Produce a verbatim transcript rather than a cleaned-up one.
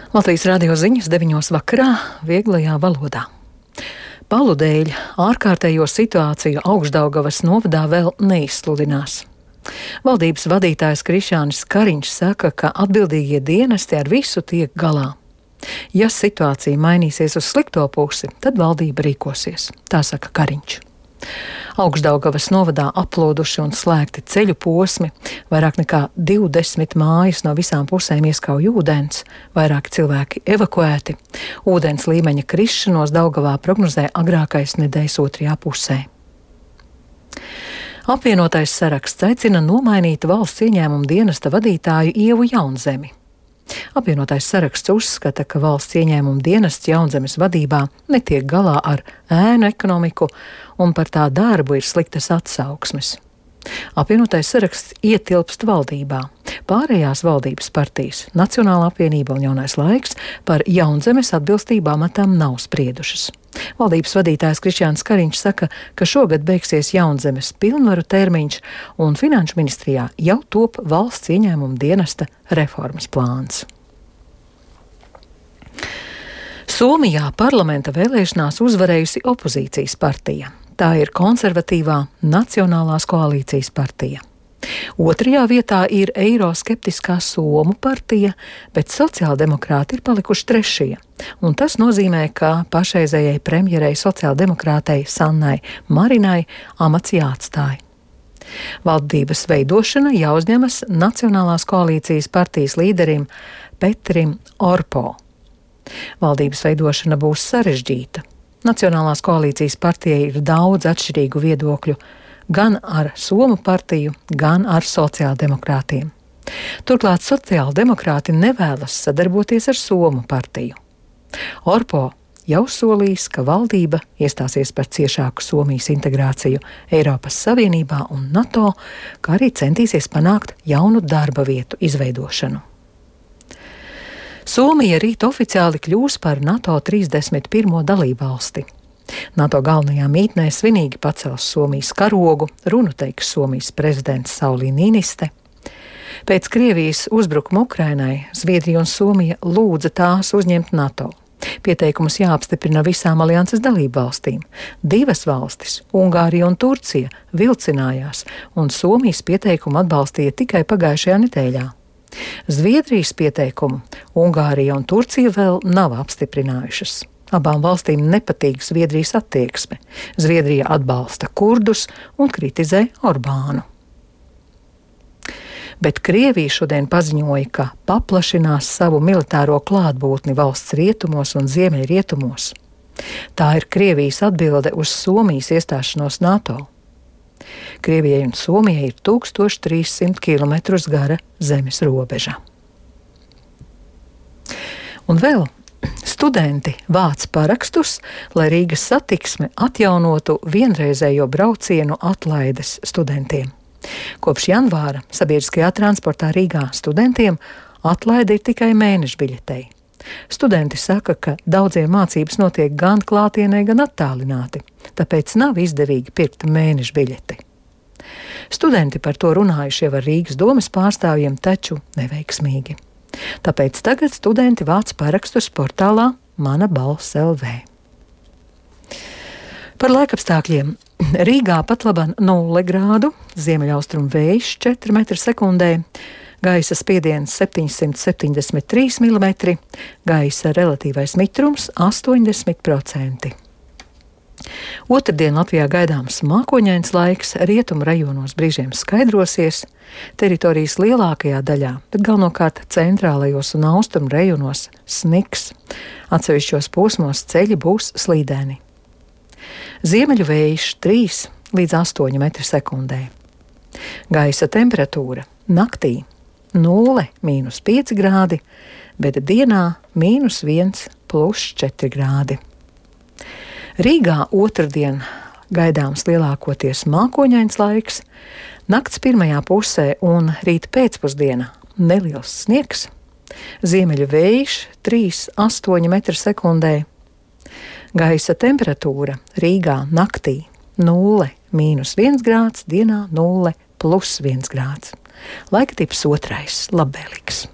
Latvijas radio ziņas deviņos vakarā vieglajā valodā. Balu dēļ ārkārtējo situāciju Augšdaugavas novadā vēl neizsludinās. Valdības vadītājs Krišjānis Kariņš saka, ka atbildīgie dienesti ar visu tiek galā. Ja situācija mainīsies uz slikto pusi, tad valdība rīkosies, tā saka Kariņš. Augšdaugavas novadā aplūduši un slēgti ceļu posmi, vairāk nekā divdesmit mājas no visām pusēm ieskauj ūdens, vairāki cilvēki evakuēti, ūdens līmeņa krišanos Daugavā prognozē agrākais nedēļas otrajā pusē. Apvienotais saraksts aicina nomainīt valsts ieņēmuma dienesta vadītāju Ievu Jaunzemi. Apvienotais saraksts uzskata, ka valsts ieņēmuma dienests Jaunzemes vadībā netiek galā ar ēnu ekonomiku un par tā darbu ir sliktas atsauksmes. Apvienotais saraksts ietilpst valdībā. Pārējās valdības partijas, Nacionālā apvienība un Jaunais laiks par Jaunzemes atbilstību amatam nav spriedušas. Valdības vadītājs Krišjānis Kariņš saka, ka šogad beigsies Jaunzemes pilnvaru termiņš un Finanšu ministrijā jau top valsts ieņēmuma dienesta reformas plāns. Somijā parlamenta vēlēšanās uzvarējusi opozīcijas partija. Tā ir konservatīvā Nacionālās koalīcijas partija. Otrajā vietā ir eiroskeptiskā Somu partija, bet sociāldemokrāti ir palikuši trešie. Un tas nozīmē, ka pašreizējai premjerei sociāldemokrātei Sannai Marinai amats jāatstāj. Valdības veidošana jāuzņemas Nacionālās koalīcijas partijas līderim Petrim Orpo. Valdības veidošana būs sarežģīta. Nacionālās koalīcijas partijai ir daudz atšķirīgu viedokļu, gan ar Somu partiju, gan ar sociāldemokrātiem. Turklāt sociāldemokrāti nevēlas sadarboties ar Somu partiju. Orpo jau solījis, ka valdība iestāsies par ciešāku Somijas integrāciju Eiropas Savienībā un NATO, kā arī centīsies panākt jaunu darba vietu izveidošanu. Somija rīt oficiāli kļūs par NATO trīsdesmit pirmo dalībvalsti. NATO galvenajā mītnē svinīgi pacels Somijas karogu, runu teiks Somijas prezidents Sauli Niiniste. Pēc Krievijas uzbrukuma Ukrainai Zviedrija un Somija lūdza tās uzņemt NATO. Pieteikumus jāapstiprina visām alianses dalībvalstīm. Divas valstis, Ungārija un Turcija, vilcinājās, un Somijas pieteikumu atbalstīja tikai pagājušajā nedēļā. Zviedrijas pieteikumu Ungārija un Turcija vēl nav apstiprinājušas. Abām valstīm nepatīk Zviedrijas attieksme. Zviedrija atbalsta kurdus un kritizē Orbānu. Bet Krievija šodien paziņoja, ka paplašinās savu militāro klātbūtni valsts rietumos un ziemeļrietumos. Tā ir Krievijas atbilde uz Somijas iestāšanos NATO. Krievijai un Somijai ir tūkstoš trīssimt kilometrus gara zemes robeža. Un vēl studenti vāc parakstus, lai Rīgas satiksme atjaunotu vienreizējo braucienu atlaides studentiem. Kopš janvāra sabiedriskajā transportā Rīgā studentiem atlaide ir tikai mēneša biļetei. Studenti saka, ka daudziem mācības notiek gan klātienē, gan attālināti, tāpēc nav izdevīgi pirkt mēneša biļeti. Studenti par to runājuši jau ar Rīgas domes pārstāvjiem, taču neveiksmīgi. Tāpēc tagad studenti vāc parakstus portālā Mana balss L V. Par laikapstākļiem. Rīgā patlaban nulle grādu, ziemeļaustrumu vējš četri metri sekundē, gaisa spiediens septiņsimt septiņdesmit trīs milimetri, gaisa relatīvais mitrums astoņdesmit procenti. Otrdien Latvijā gaidāms mākoņains laiks, rietumu rajonos brīžiem skaidrosies, teritorijas lielākajā daļā, bet galvenokārt centrālajos un austrumu rajonos sniks. Atsevišķos posmos ceļi būs slīdēni. Ziemeļu vējš trīs līdz astoņi metri sekundē. Gaisa temperatūra naktī nulle mīnus pieci grādi, bet dienā mīnus viens plus četri grādi. Rīgā otrdien gaidāms lielākoties mākoņains laiks, nakts pirmajā pusē un rīt pēcpusdienā neliels sniegs, ziemeļu vējš trīs līdz astoņi metri sekundē. Gaisa temperatūra Rīgā naktī nulle mīnus viens grāds, dienā nulle plus viens grāds. Laika tips otrais, labvēlīgs.